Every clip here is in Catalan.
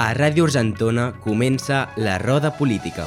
A Ràdio Argentona comença la Roda Política.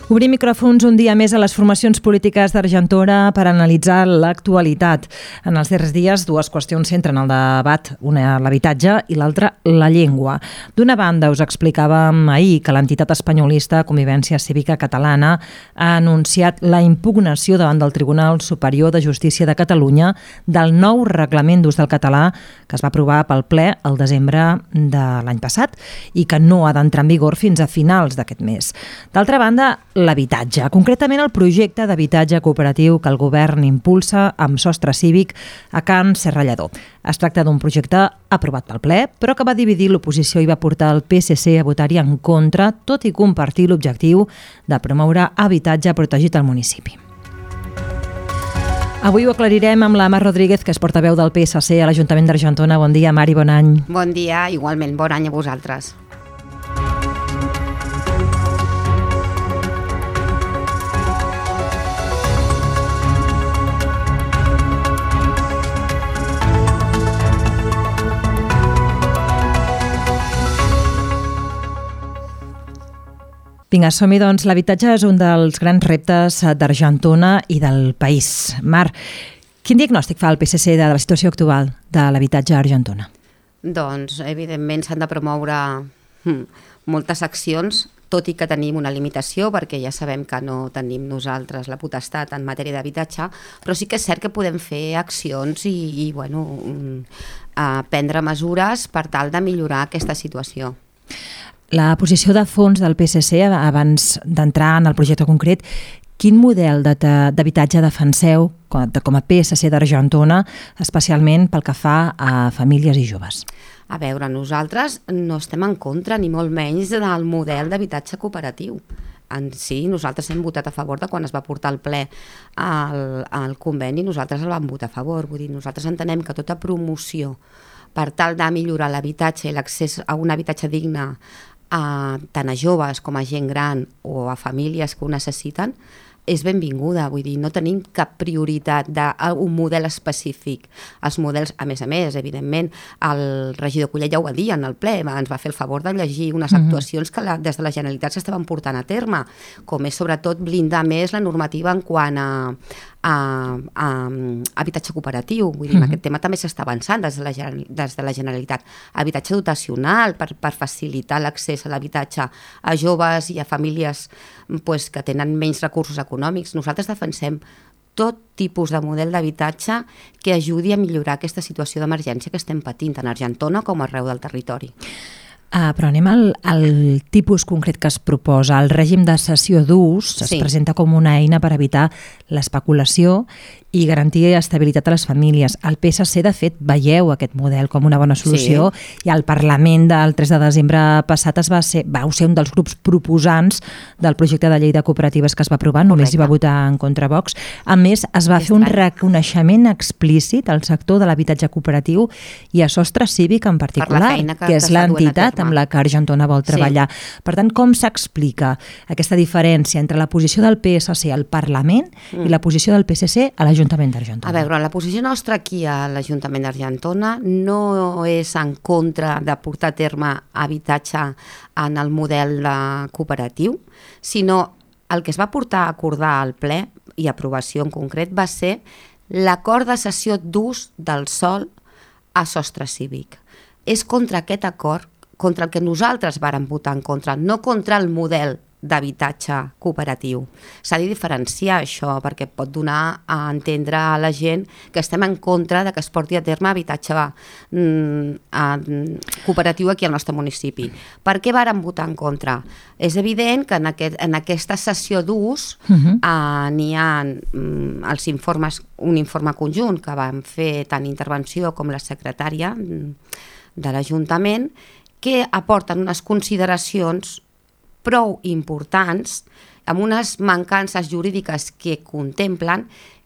Obrim micròfons un dia més a les formacions polítiques d'Argentona per analitzar l'actualitat. En els darrers dies, dues qüestions centren el debat, una l'habitatge i l'altra la llengua. D'una banda, us explicàvem ahir que l'entitat espanyolista Convivència Cívica Catalana ha anunciat la impugnació davant del Tribunal Superior de Justícia de Catalunya del nou reglament d'ús del català que es va aprovar pel ple el desembre de l'any passat i que no ha d'entrar en vigor fins a finals d'aquest mes. D'altra banda, l'habitatge, concretament el projecte d'habitatge cooperatiu que el govern impulsa amb sostre cívic a Can Serrallador. Es tracta d'un projecte aprovat pel ple, però que va dividir l'oposició i va portar el PSC a votar-hi en contra, tot i compartir l'objectiu de promoure habitatge protegit al municipi. Avui ho aclarirem amb la Mar Rodríguez, que és portaveu del PSC a l'Ajuntament d'Argentona. Bon dia, Mari, bon any. Bon dia, igualment, bon any a vosaltres. Vinga, som-hi, doncs. L'habitatge és un dels grans reptes d'Argentona i del país. Mar, quin diagnòstic fa el PSC de la situació actual de l'habitatge a Argentona? Doncs, evidentment, s'han de promoure moltes accions, tot i que tenim una limitació, perquè ja sabem que no tenim nosaltres la potestat en matèria d'habitatge, però sí que és cert que podem fer accions i prendre mesures per tal de millorar aquesta situació. La posició de fons del PSC, abans d'entrar en el projecte concret, quin model d'habitatge defenseu com a PSC d'Argentona, especialment pel que fa a famílies i joves? A veure, nosaltres no estem en contra, ni molt menys, del model d'habitatge cooperatiu. En si, nosaltres hem votat a favor de quan es va portar al ple al conveni, nosaltres el vam votar a favor. Vull dir, nosaltres entenem que tota promoció per tal de millorar l'habitatge i l'accés a un habitatge digne tant a joves com a gent gran o a famílies que ho necessiten, és benvinguda. Vull dir, no tenim cap prioritat d'un model específic. Els models, a més, evidentment, el regidor Collet ja ho va dir en el ple, ens va fer el favor de llegir unes actuacions que des de la Generalitat s'estaven portant a terme, com és sobretot blindar més la normativa en quant a habitatge cooperatiu. Vull dir, en aquest tema també s'està avançant des de la Generalitat. Habitatge dotacional per facilitar l'accés a l'habitatge a joves i a famílies que tenen menys recursos econòmics. Nosaltres defensem tot tipus de model d'habitatge que ajudi a millorar aquesta situació d'emergència que estem patint tant a Argentona com arreu del territori. Però anem al tipus concret que es proposa. El règim de cessió d'ús es presenta com una eina per evitar l'especulació i garantir estabilitat a les famílies. El PSC, de fet, veieu aquest model com una bona solució i al Parlament del 3 de desembre passat vau ser un dels grups proposants del projecte de llei de cooperatives que es va aprovar, només hi va votar en contra Vox. A més, es va fer un reconeixement explícit al sector de l'habitatge cooperatiu i a Sostre Cívic en particular, que és l'entitat amb la que Argentona vol treballar. Per tant, com s'explica aquesta diferència entre la posició del PSC al Parlament i la posició del PSC a l'Ajuntament d'Argentona? A veure, la posició nostra aquí a l'Ajuntament d'Argentona no és en contra de portar a terme habitatge en el model cooperatiu, sinó el que es va portar a acordar al ple i aprovació en concret va ser l'acord de cessió d'ús del sòl a Sostre Cívic. És contra aquest acord contra el que nosaltres vàrem votar en contra, no contra el model d'habitatge cooperatiu. S'ha de diferenciar això perquè pot donar a entendre a la gent que estem en contra de que es porti a terme habitatge cooperatiu aquí al nostre municipi. Per què vàrem votar en contra? És evident que en aquesta cessió d'ús n'hi ha un informe conjunt que vam fer tant intervenció com la secretària de l'Ajuntament que aporten unes consideracions prou importants amb unes mancances jurídiques que contemplen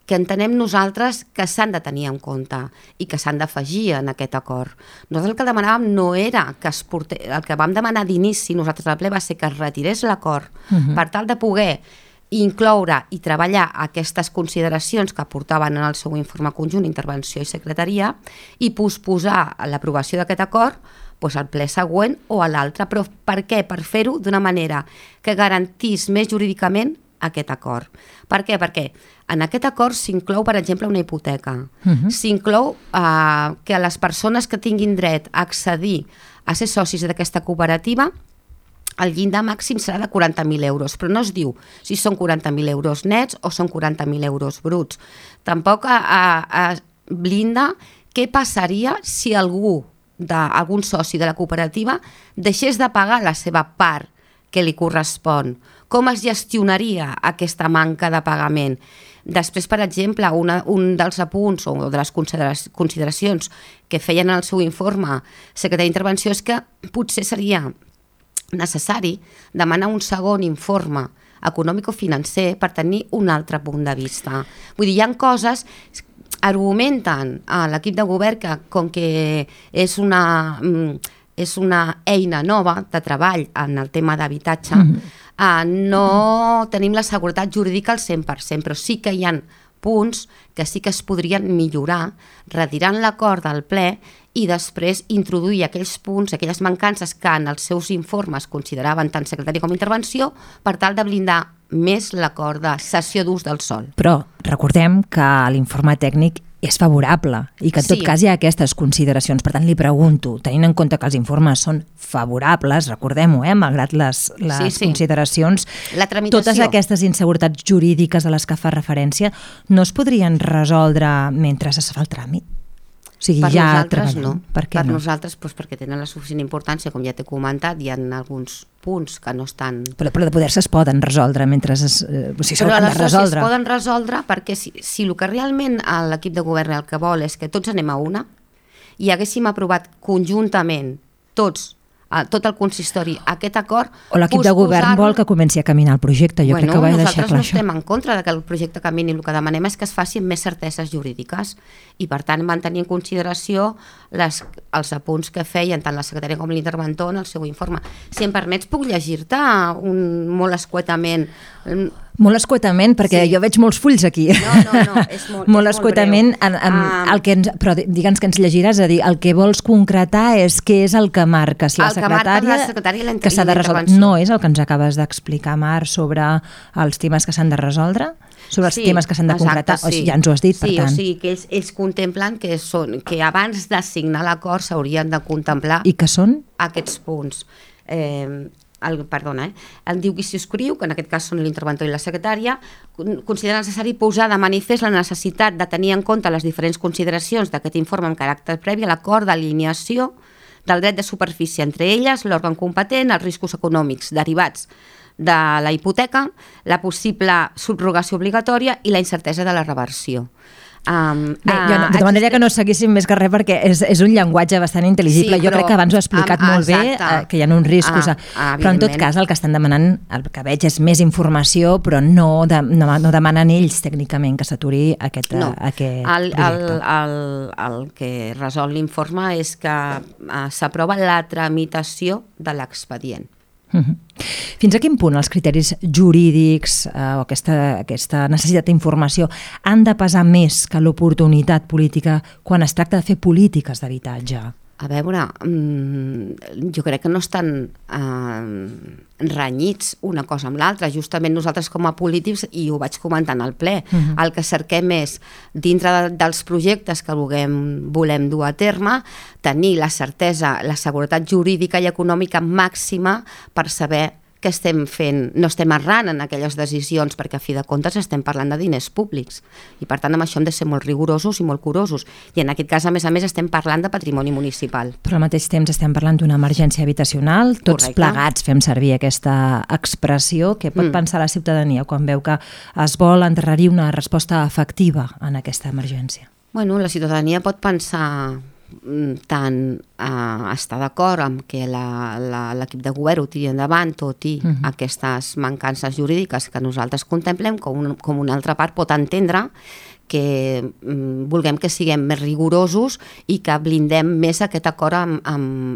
que entenem nosaltres que s'han de tenir en compte i que s'han d'afegir en aquest acord. Nosaltres el que demanàvem no era que es portés, el que vam demanar d'inici nosaltres al ple va ser que es retirés l'acord per tal de poder incloure i treballar aquestes consideracions que aportaven en el seu informe conjunt, intervenció i secretaria, i posposar l'aprovació d'aquest acord al ple següent o a l'altre. Però per què? Per fer-ho d'una manera que garantís més jurídicament aquest acord. Per què? Perquè en aquest acord s'inclou, per exemple, una hipoteca. S'inclou que les persones que tinguin dret a accedir a ser socis d'aquesta cooperativa, el llindar màxim serà de 40.000 euros, però no es diu si són 40.000 euros nets o són 40.000 euros bruts. Tampoc blinda què passaria si algun soci de la cooperativa deixés de pagar la seva part que li correspon. Com es gestionaria aquesta manca de pagament? Després, per exemple, un dels apunts o de les consideracions que feien en el seu informe secretari d'intervenció és que potser seria necessari demanar un segon informe econòmic-financer per tenir un altre punt de vista. Vull dir, hi ha coses, argumenten a l'equip de govern que com que és una eina nova de treball en el tema d'habitatge, no tenim la seguretat jurídica al 100%, però sí que hi ha punts que sí que es podrien millorar retirant l'acord del ple i després introduir aquells punts, aquelles mancances que en els seus informes consideraven tant secretari com intervenció per tal de blindar més l'acord de cessió d'ús del sòl. Però recordem que l'informe tècnic és favorable i que en tot cas hi ha aquestes consideracions. Per tant, li pregunto, tenint en compte que els informes són favorables, recordem-ho, malgrat les consideracions, totes aquestes inseguretats jurídiques a les que fa referència no es podrien resoldre mentre es fa el tràmit? O sigui, per ja nosaltres no. Per què no? Nosaltres perquè tenen la suficient importància, com ja t'he comentat, hi ha alguns punts que no estan... Però de poder-se es poden resoldre mentre es poden resoldre perquè si el que realment l'equip de govern el que vol és que tots anem a una i haguéssim aprovat conjuntament tot el consistori aquest acord... O l'equip de govern vol que comenci a caminar el projecte, jo crec que ho vaig deixar clar. Nosaltres no estem en contra de que el projecte camini, el que demanem és que es facin més certeses jurídiques i per tant mantenir en consideració els apunts que feien tant la secretària com l'interventor en el seu informe. Si em permets puc llegir-te molt escuetament... Molt escuetament, perquè jo veig molts fulls aquí. No, és molt escuetament, però digue'ns que ens llegiràs, a dir, el que vols concretar és què és el que marca, si la secretària que s'ha de resoldre. No és el que ens acabes d'explicar, Mar, sobre els temes que s'han de resoldre? Sobre els temes que s'han de concretar? Ja ens ho has dit, per tant. Sí, o sigui que ells contemplen que abans de signar l'acord s'haurien de contemplar... I què són? Aquests punts. El diu qui s'hi escriu, que en aquest cas són l'interventor i la secretària, considera necessari posar de manifest la necessitat de tenir en compte les diferents consideracions d'aquest informe en caràcter previ a l'acord d'alineació del dret de superfície, entre elles l'òrgan competent, els riscos econòmics derivats de la hipoteca, la possible subrogació obligatòria i la incertesa de la reversió. De manera que no seguíssim més que res perquè és un llenguatge bastant intel·ligible. Jo crec que abans ho he explicat molt bé, que hi ha uns riscos, però en tot cas el que estan demanant, el que veig és més informació, però no demanen ells tècnicament que s'aturi aquest projecte. El que resol l'informe és que s'aprova la tramitació de l'expedient. Fins a quin punt els criteris jurídics o aquesta necessitat d'informació han de pesar més que l'oportunitat política quan es tracta de fer polítiques d'habitatge? A veure, jo crec que no estan renyits una cosa amb l'altra. Justament nosaltres com a polítics, i ho vaig comentar en el ple, el que cerquem és, dintre dels projectes que volem dur a terme, tenir la certesa, la seguretat jurídica i econòmica màxima per saber que estem fent, no estem errant en aquelles decisions, perquè a fi de comptes estem parlant de diners públics i per tant amb això hem de ser molt rigorosos i molt curosos, i en aquest cas a més estem parlant de patrimoni municipal. Però al mateix temps estem parlant d'una emergència habitacional, tots plegats fem servir aquesta expressió. Què pot pensar la ciutadania quan veu que es vol endarrerir una resposta efectiva en aquesta emergència? Bueno, la ciutadania pot pensar tant estar d'acord amb que l'equip de govern ho tiri endavant, tot i aquestes mancances jurídiques que nosaltres contemplem, com una altra part pot entendre vulguem que siguem més rigorosos i que blindem més aquest acord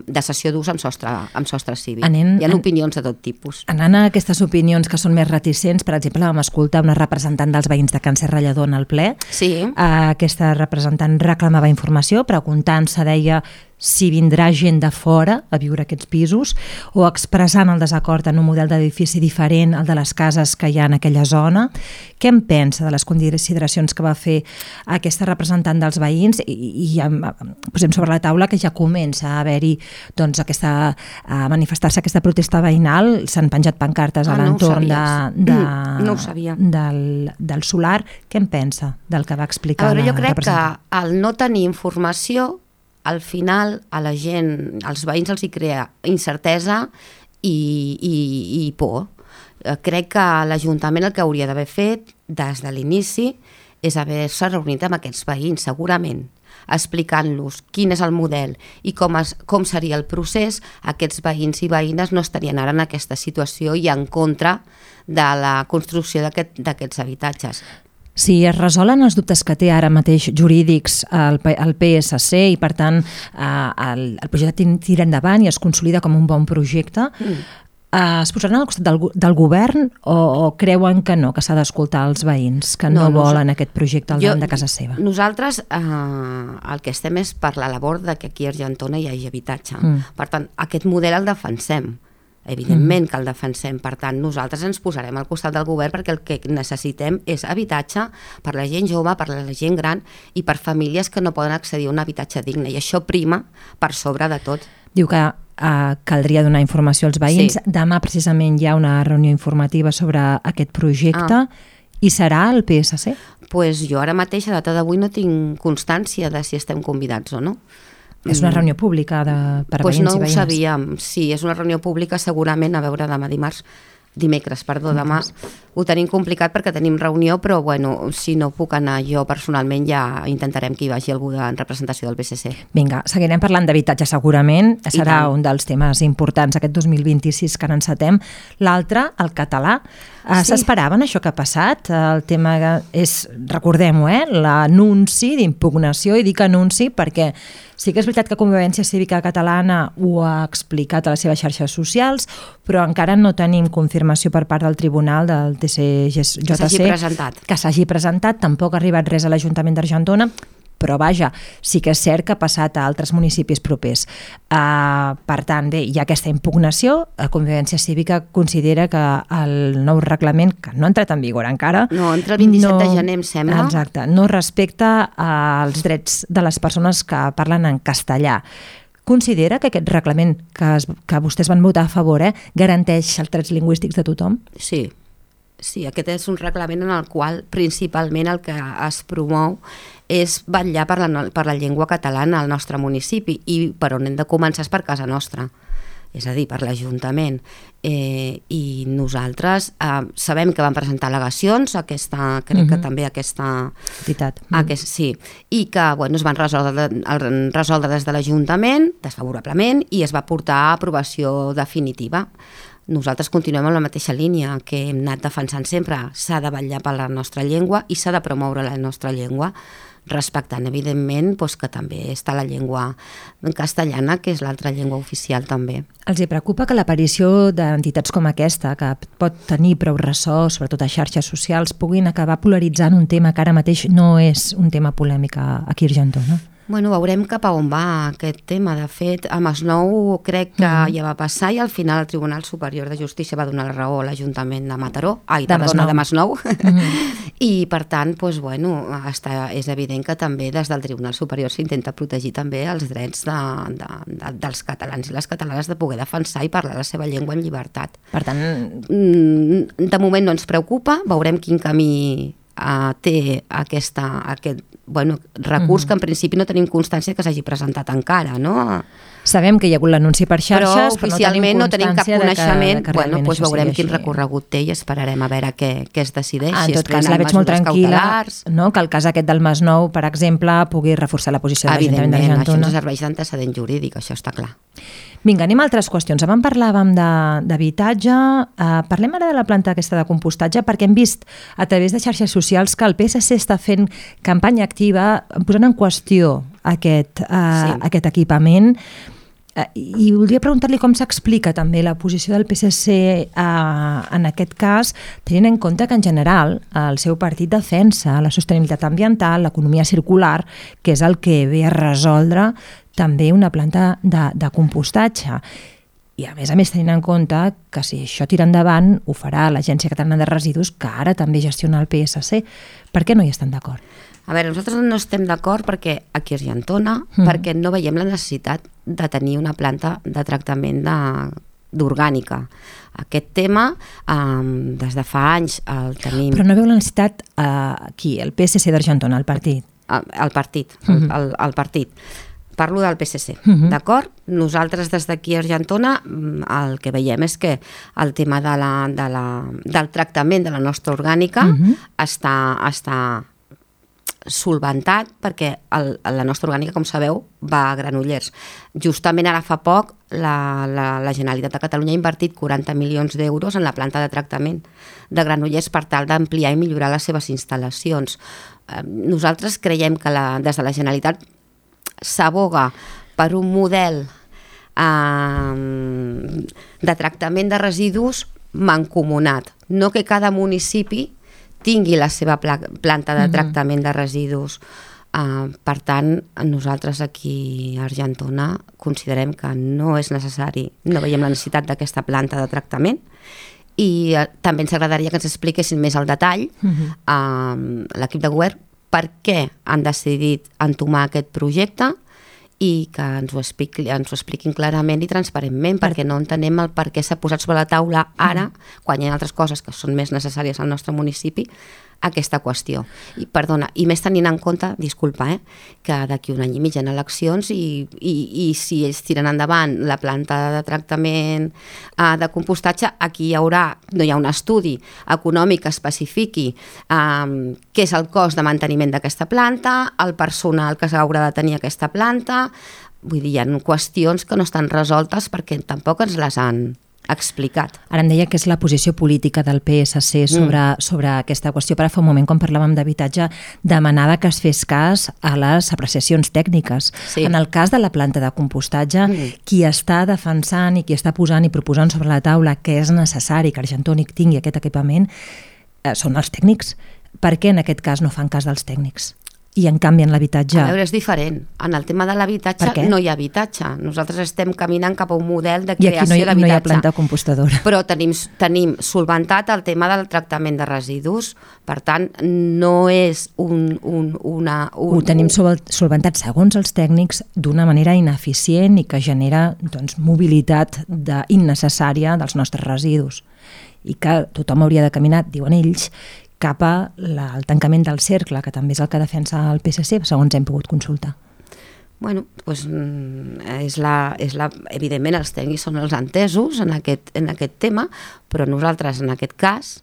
de cessió d'ús amb sostre cívic. Hi ha opinions de tot tipus. Anant a aquestes opinions que són més reticents, per exemple, vam escoltar una representant dels veïns de Can Serrallador en el ple. Sí. Aquesta representant reclamava informació, preguntant-se, deia, si vindrà gent de fora a viure a aquests pisos, o expressant el desacord en un model d'edifici diferent al de les cases que hi ha en aquella zona. Què en pensa de les consideracions que va fer aquesta representant dels veïns? I ja posem sobre la taula que ja comença a haver-hi a manifestar-se aquesta protesta veïnal. S'han penjat pancartes a l'entorn del solar. Què en pensa del que va explicar la representant? Jo crec que al no tenir informació, al final a la gent, als veïns els hi crea incertesa i por. Crec que l'Ajuntament el que hauria d'haver fet des de l'inici és haver-se reunit amb aquests veïns, segurament, explicant-los quin és el model i com seria el procés. Aquests veïns i veïnes no estarien ara en aquesta situació i en contra de la construcció d'aquests habitatges. Si es resolen els dubtes que té ara mateix jurídics el PSC i, per tant, el projecte tira endavant i es consolida com un bon projecte, es posaran al costat del govern o creuen que no, que s'ha d'escoltar els veïns, que no volen aquest projecte al davant de casa seva? Nosaltres el que estem és per la labor que aquí a Argentona hi hagi habitatge. Per tant, aquest model el defensem. Evidentment que el defensem, per tant nosaltres ens posarem al costat del govern perquè el que necessitem és habitatge per la gent jove, per la gent gran i per famílies que no poden accedir a un habitatge digne, i això prima per sobre de tot. Diu que caldria donar informació als veïns. Sí. Demà precisament hi ha una reunió informativa sobre aquest projecte. I serà el PSC? Pues jo ara mateix, a data d'avui, no tinc constància de si estem convidats o no. És una reunió pública per a veïns i veïnes? No ho sabíem. Sí, és una reunió pública segurament, a veure, dimecres, demà ho tenim complicat perquè tenim reunió, però bueno, si no puc anar jo personalment ja intentarem que hi vagi algú en representació del PSC. Vinga, seguirem parlant d'habitatge segurament, serà un dels temes importants aquest 2026 que n'encetem. L'altre, el català. S'esperaven això que ha passat? El tema és, recordem-ho, l'anunci d'impugnació, i dic anunci perquè sí que és veritat que Convivència Cívica Catalana ho ha explicat a les seves xarxes socials, però encara no tenim confirmació per part del tribunal del TCJC que s'hagi presentat. Tampoc ha arribat res a l'Ajuntament d'Argentona, però vaja, sí que és cert que ha passat a altres municipis propers. Per tant, bé, hi ha aquesta impugnació. Convivència Cívica considera que el nou reglament, que no ha entrat en vigor encara... No, entra el 27 de gener, em sembla. Exacte, no respecta els drets de les persones que parlen en castellà. Considera que aquest reglament que vostès van votar a favor garanteix els drets lingüístics de tothom? Sí, aquest és un reglament en el qual principalment el que es promou és vetllar per la llengua catalana al nostre municipi, i per on hem de començar és per casa nostra, és a dir, per l'Ajuntament. I nosaltres sabem que van presentar al·legacions, crec que també aquesta entitat. Sí, i que es van resoldre des de l'Ajuntament desfavorablement i es va portar a aprovació definitiva. Nosaltres continuem amb la mateixa línia que hem anat defensant sempre. S'ha de vetllar per la nostra llengua i s'ha de promoure la nostra llengua, respectant, evidentment, que també està la llengua castellana, que és l'altra llengua oficial també. Els hi preocupa que l'aparició d'entitats com aquesta, que pot tenir prou ressò, sobretot a xarxes socials, puguin acabar polaritzant un tema que ara mateix no és un tema polèmic aquí a Argentona? Veurem cap a on va aquest tema. De fet, a Masnou crec que ja va passar i al final el Tribunal Superior de Justícia va donar la raó a l'Ajuntament de Masnou. I per tant, és evident que també des del Tribunal Superior s'intenta protegir també els drets dels catalans i les catalanes de poder defensar i parlar la seva llengua en llibertat. Per tant, de moment no ens preocupa, veurem quin camí té aquest recurs que en principi no tenim constància que s'hagi presentat encara, no? Sabem que hi ha hagut l'anunci per xarxes, però oficialment no tenim cap coneixement. Que Bueno, doncs veurem quin recorregut té i esperarem a veure què es decideix. En tot cas, la veig molt tranquil·la, que el cas aquest del Masnou, per exemple, pugui reforçar la posició de l'Ajuntament d'Argentona. Evidentment, això ens serveix d'antecedent jurídic, això està clar. Vinga, anem a altres qüestions. Abans parlàvem d'habitatge, parlem ara de la planta aquesta de compostatge, perquè hem vist a través de xarxes socials que el PSC està fent campanya activa posant en qüestió aquest equipament. I voldria preguntar-li com s'explica també la posició del PSC en aquest cas, tenint en compte que en general el seu partit defensa la sostenibilitat ambiental, l'economia circular, que és el que ve a resoldre també una planta de compostatge. I a més tenint en compte que si això tira endavant ho farà l'Agència Catalana de Residus, que ara també gestiona el PSC. Per què no hi estan d'acord? A veure, nosaltres no estem d'acord perquè aquí a Argentona, perquè no veiem la necessitat de tenir una planta de tractament d'orgànica. Aquest tema, des de fa anys el tenim... Però no veu la necessitat aquí, el PSC d'Argentona, el partit? El partit. Parlo del PSC, d'acord? Nosaltres des d'aquí a Argentona el que veiem és que el tema del tractament de la nostra orgànica està solventat perquè la nostra orgànica, com sabeu, va a Granollers. Justament ara fa poc la Generalitat de Catalunya ha invertit 40 milions d'euros en la planta de tractament de Granollers per tal d'ampliar i millorar les seves instal·lacions. Nosaltres creiem que des de la Generalitat s'aboga per un model de tractament de residus mancomunat, no que cada municipi tingui la seva planta de tractament de residus. Per tant, nosaltres aquí a Argentona considerem que no és necessari, no veiem la necessitat d'aquesta planta de tractament i també ens agradaria que ens expliquessin més al detall l'equip de govern per què han decidit entomar aquest projecte i que ens ho expliquin clarament i transparentment, perquè no entenem el per què s'ha posat sobre la taula ara, quan hi ha altres coses que són més necessàries al nostre municipi, aquesta qüestió. I més tenint en compte, disculpa, que d'aquí un any i mig hi ha eleccions i si ells tiren endavant la planta de tractament de compostatge, aquí no hi ha un estudi econòmic que especifiqui què és el cost de manteniment d'aquesta planta, el personal que s'haurà de tenir aquesta planta. Vull dir, hi ha qüestions que no estan resoltes perquè tampoc ens les han explicat. Ara em deia que és la posició política del PSC sobre aquesta qüestió, però fa un moment, quan parlàvem d'habitatge, demanava que es fes cas a les apreciacions tècniques. Sí. En el cas de la planta de compostatge, qui està defensant i qui està posant i proposant sobre la taula que és necessari que Argentona tingui aquest equipament són els tècnics. Per què en aquest cas no fan cas dels tècnics? I en canvi en l'habitatge... A veure, és diferent. En el tema de l'habitatge no hi ha habitatge. Nosaltres estem caminant cap a un model de creació d'habitatge. I aquí no hi ha planta compostadora. Però tenim solventat el tema del tractament de residus. Per tant, no és Ho tenim solventat, segons els tècnics, d'una manera ineficient i que genera mobilitat innecessària dels nostres residus. I que tothom hauria de caminar, diuen ells, cap al tancament del cercle, que també és el que defensa el PSC, segons hem pogut consultar. Bueno, doncs evidentment els tècnics són els entesos en aquest tema, però nosaltres en aquest cas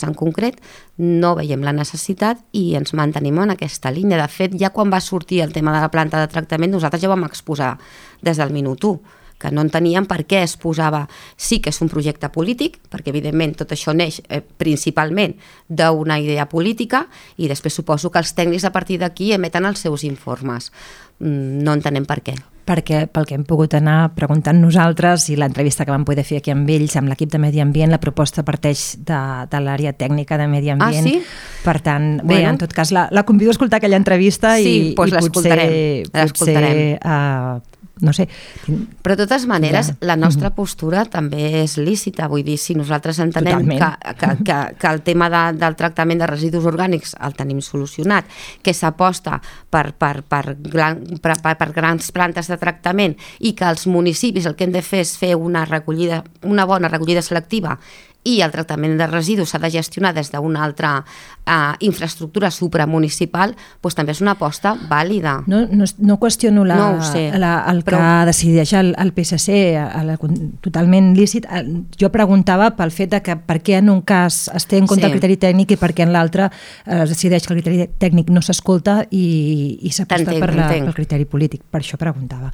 en concret, no veiem la necessitat i ens mantenim en aquesta línia. De fet, ja quan va sortir el tema de la planta de tractament, nosaltres ja ho vam exposar des del minut 1, que no enteníem per què es posava... Sí que és un projecte polític, perquè evidentment tot això neix principalment d'una idea política i després suposo que els tècnics a partir d'aquí emeten els seus informes. No entenem per què. Perquè pel que hem pogut anar preguntant nosaltres i l'entrevista que vam poder fer aquí amb ells, amb l'equip de Medi Ambient, la proposta parteix de l'àrea tècnica de Medi Ambient. Sí? Per tant, bé, en tot cas, la convido a escoltar aquella entrevista i potser no sé. Però de totes maneres, la nostra postura també és lícita. Vull dir, si nosaltres entenem que el tema del tractament de residus orgànics el tenim solucionat, que s'aposta per grans plantes de tractament i que els municipis el que hem de fer és fer una bona recollida selectiva i el tractament de residus s'ha de gestionar des d'una altra infraestructura supramunicipal, doncs també és una aposta vàlida. No qüestiono el que decideix el PSC, totalment lícit. Jo preguntava pel fet de que per què en un cas es té en compte el criteri tècnic i per què en l'altre es decideix que el criteri tècnic no s'escolta i s'aposta pel criteri polític. Per això preguntava.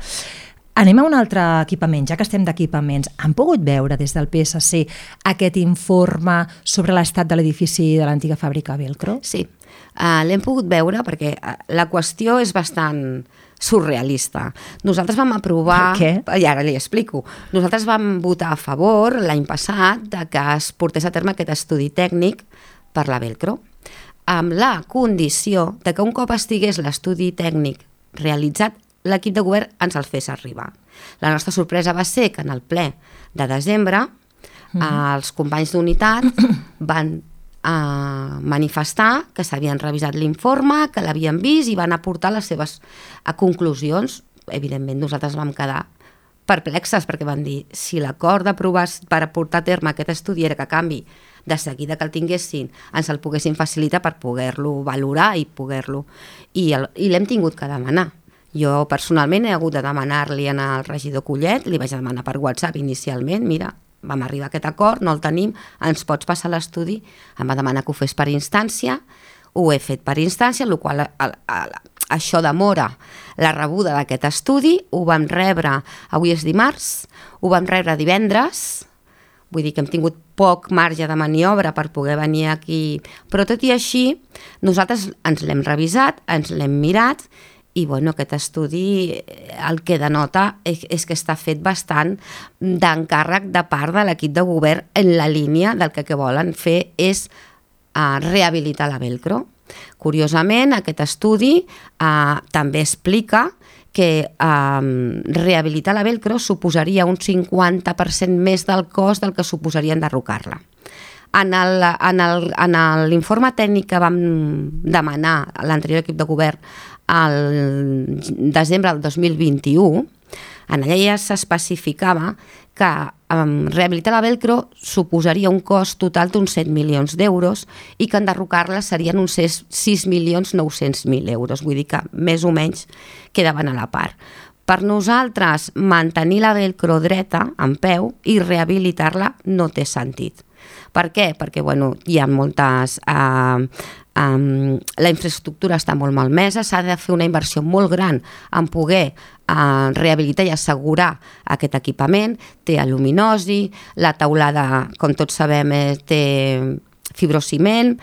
Anem a un altre equipament, ja que estem d'equipaments. Han pogut veure des del PSC aquest informe sobre l'estat de l'edifici de l'antiga fàbrica Velcro? Sí, l'hem pogut veure perquè la qüestió és bastant surrealista. Nosaltres vam aprovar... Per què? I ara li explico. Nosaltres vam votar a favor l'any passat de que es portés a terme aquest estudi tècnic per la Velcro, amb la condició de que un cop estigués l'estudi tècnic realitzat, l'equip de govern ens el fes arribar. La nostra sorpresa va ser que en el ple de desembre els companys d'unitat van manifestar que s'havien revisat l'informe, que l'havien vist i van aportar les seves conclusions. Evidentment, nosaltres vam quedar perplexes perquè van dir si l'acord d'aprovar per aportar a terme aquest estudi era que a canvi de seguida que el tinguessin ens el poguessin facilitar per poder-lo valorar i poder-lo... I l'hem tingut que demanar. Jo personalment he hagut de demanar-li al regidor Collet, li vaig demanar per WhatsApp inicialment, mira, vam arribar a aquest acord, no el tenim, ens pots passar l'estudi? Em va demanar que ho fes per instància, ho he fet per instància, el qual això demora la rebuda d'aquest estudi, ho vam rebre, avui és dimarts, ho vam rebre divendres, vull dir que hem tingut poc marge de maniobra per poder venir aquí, però tot i així, nosaltres ens l'hem revisat, ens l'hem mirat, i bueno, aquest estudi el que denota és que està fet bastant d'encàrrec de part de l'equip de govern en la línia del que volen fer és rehabilitar la Velcro. Curiosament, aquest estudi també explica que rehabilitar la Velcro suposaria un 50% més del cost del que suposaria enderrocar-la. En l'informe tècnic que vam demanar a l'anterior equip de govern al desembre del 2021, en allà ja s'especificava que rehabilitar la Velcro suposaria un cost total d'uns 7 milions d'euros i que enderrocar-la serien uns 6.900.000 euros, vull dir que més o menys quedaven a la part. Per nosaltres, mantenir la Velcro dreta, en peu, i rehabilitar-la no té sentit. Per què? Perquè hi ha moltes... la infraestructura està molt malmesa, s'ha de fer una inversió molt gran en poder rehabilitar i assegurar aquest equipament, té aluminosi, la teulada, com tots sabem, té fibrociment,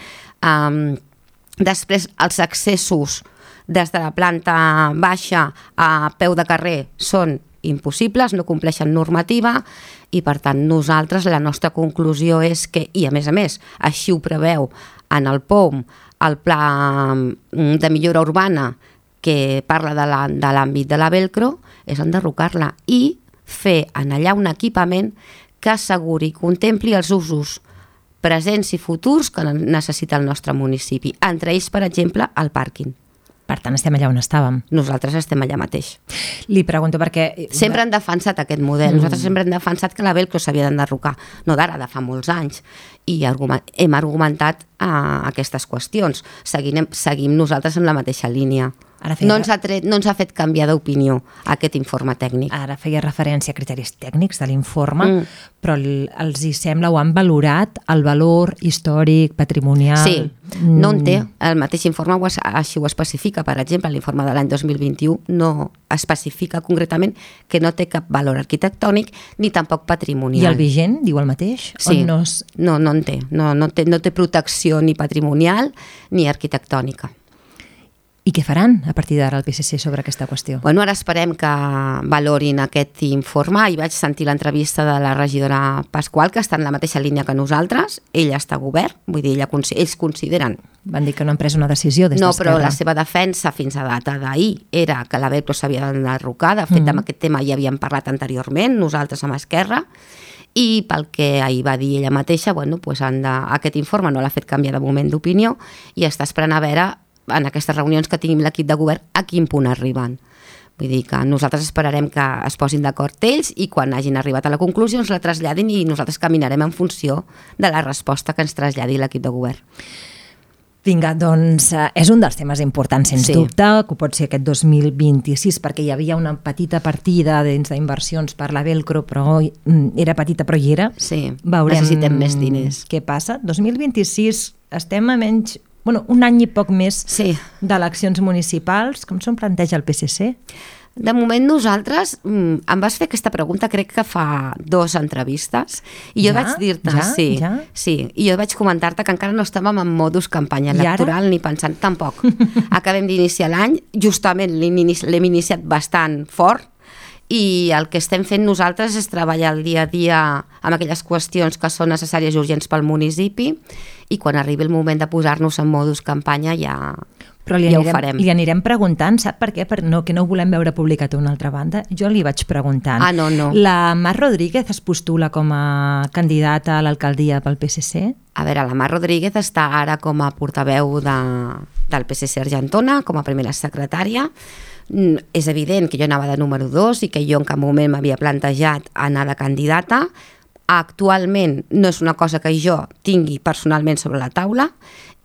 després els accessos des de la planta baixa a peu de carrer són impossibles, no compleixen normativa i per tant nosaltres la nostra conclusió és que, i a més, així ho preveu en el POUM, el Pla de Millora Urbana que parla de l'àmbit de la Velcro, és enderrocar-la i fer en allà un equipament que asseguri, contempli els usos presents i futurs que necessita el nostre municipi, entre ells, per exemple, el pàrquing. Per tant, estem allà on estàvem. Nosaltres estem allà mateix. Li pregunto perquè... Sempre han defensat aquest model. Nosaltres sempre hem defensat que la Velcro s'havia d'enderrocar. No d'ara, de fa molts anys. I hem argumentat aquestes qüestions. Seguim nosaltres en la mateixa línia. No ens ha fet canviar d'opinió aquest informe tècnic. Ara feia referència a criteris tècnics de l'informe, però els hi sembla, o han valorat el valor històric, patrimonial... Sí, no en té. El mateix informe així ho especifica. Per exemple, l'informe de l'any 2021 no especifica concretament que no té cap valor arquitectònic ni tampoc patrimonial. I el vigent diu el mateix? Sí, no en té. No té protecció ni patrimonial ni arquitectònica. I què faran a partir d'ara el PSC sobre aquesta qüestió? Bueno, ara esperem que valorin aquest informe. I vaig sentir l'entrevista de la regidora Pasqual, que està en la mateixa línia que nosaltres. Ella està a govern, vull dir, ells consideren... Van dir que no han pres una decisió des d'Esquerra. No, però la seva defensa fins a data d'ahir era que la Velcro s'havia d'enderrocar. De fet, amb aquest tema ja havíem parlat anteriorment, nosaltres amb Esquerra, i pel que ahir va dir ella mateixa, aquest informe no l'ha fet canviar de moment d'opinió i està esperant a veure en aquestes reunions que tinguin l'equip de govern a quin punt arriben. Vull dir que nosaltres esperarem que es posin d'acord ells i quan hagin arribat a la conclusió ens la traslladin i nosaltres caminarem en funció de la resposta que ens traslladi l'equip de govern. Vinga, doncs és un dels temes importants, sens dubte, que pot ser aquest 2026, perquè hi havia una petita partida dins d'inversions per la Velcro, però era petita, però hi era. Sí, necessitem més diners. Què passa? 2026 estem a menys, un any i poc més d'eleccions municipals. Com s'ho planteja el PSC? De moment nosaltres, em vas fer aquesta pregunta crec que fa 2 entrevistes i jo vaig dir-te, i jo vaig comentar-te que encara no estàvem en modus campanya electoral ni pensant tampoc. Acabem d'iniciar l'any, justament l'hem iniciat bastant fort i el que estem fent nosaltres és treballar el dia a dia amb aquelles qüestions que són necessàries i urgents pel municipi i quan arribi el moment de posar-nos en modus campanya ja ho farem. Li anirem preguntant, sap per què? Que no ho volem veure publicat a una altra banda. Jo li vaig preguntant. No. La Mar Rodríguez es postula com a candidata a l'alcaldia pel PSC? A veure, la Mar Rodríguez està ara com a portaveu del PSC Argentona, com a primera secretària. És evident que jo anava de número 2 i que jo en cap moment m'havia plantejat anar de candidata. Actualment no és una cosa que jo tingui personalment sobre la taula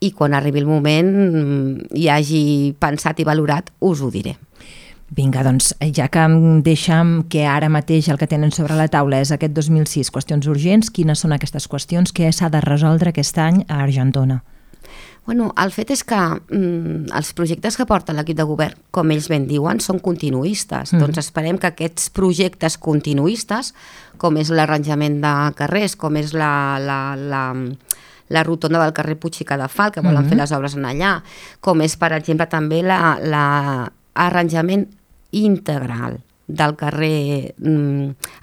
i quan arribi el moment i hagi pensat i valorat us ho diré. Vinga, doncs, ja que em deixem que ara mateix el que tenen sobre la taula és aquest 2006, qüestions urgents, quines són aquestes qüestions que s'ha de resoldre aquest any a Argentona? El fet és que els projectes que porta l'equip de govern, com ells ben diuen, són continuistes. Doncs esperem que aquests projectes continuistes, com és l'arranjament de carrers, com és la rotonda del carrer Puig i Cadafal, que volen fer les obres en allà, com és, per exemple, també l'arranjament integral del carrer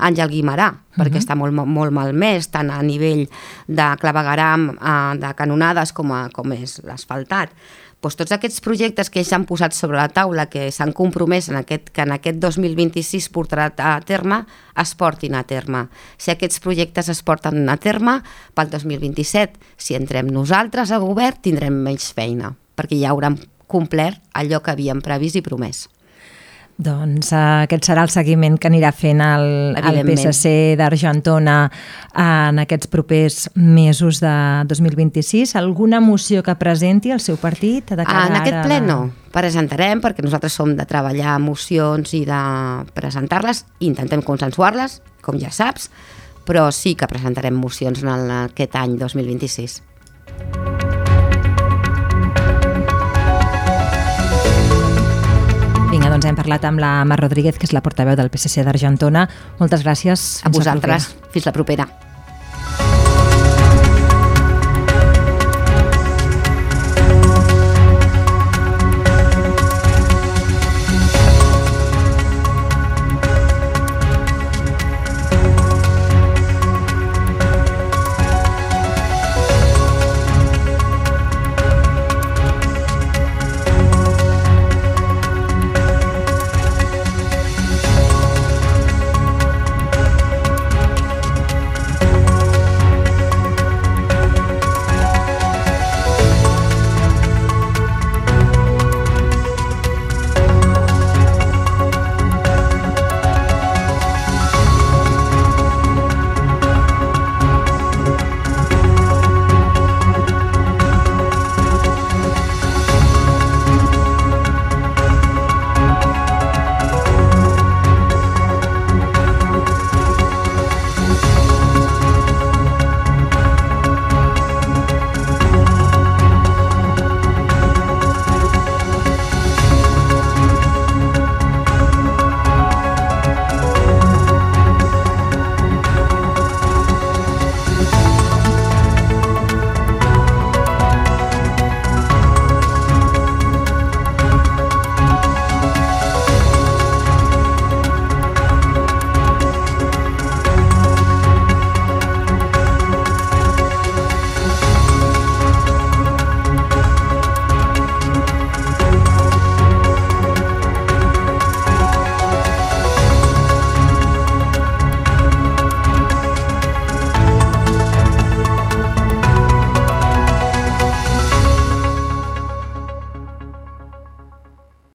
Àngel Guimerà, perquè està molt malmès, tant a nivell de clavegueram, de canonades, com és l'asfaltat. Tots aquests projectes que ells han posat sobre la taula, que s'han compromès que en aquest 2026 portarà a terme, es portin a terme. Si aquests projectes es porten a terme, pel 2027, si entrem nosaltres a govern, tindrem menys feina, perquè ja haurem complert allò que havíem previst i promès. Doncs aquest serà el seguiment que anirà fent el PSC d'Argentona en aquests propers mesos de 2026. Alguna moció que presenti el seu partit? En aquest ple no. Presentarem, perquè nosaltres som de treballar mocions i de presentar-les, intentem consensuar-les, com ja saps, però sí que presentarem mocions en aquest any 2026. Vinga, doncs hem parlat amb la Mar Rodríguez, que és la portaveu del PSC d'Argentona. Moltes gràcies. A vosaltres. Fins la propera.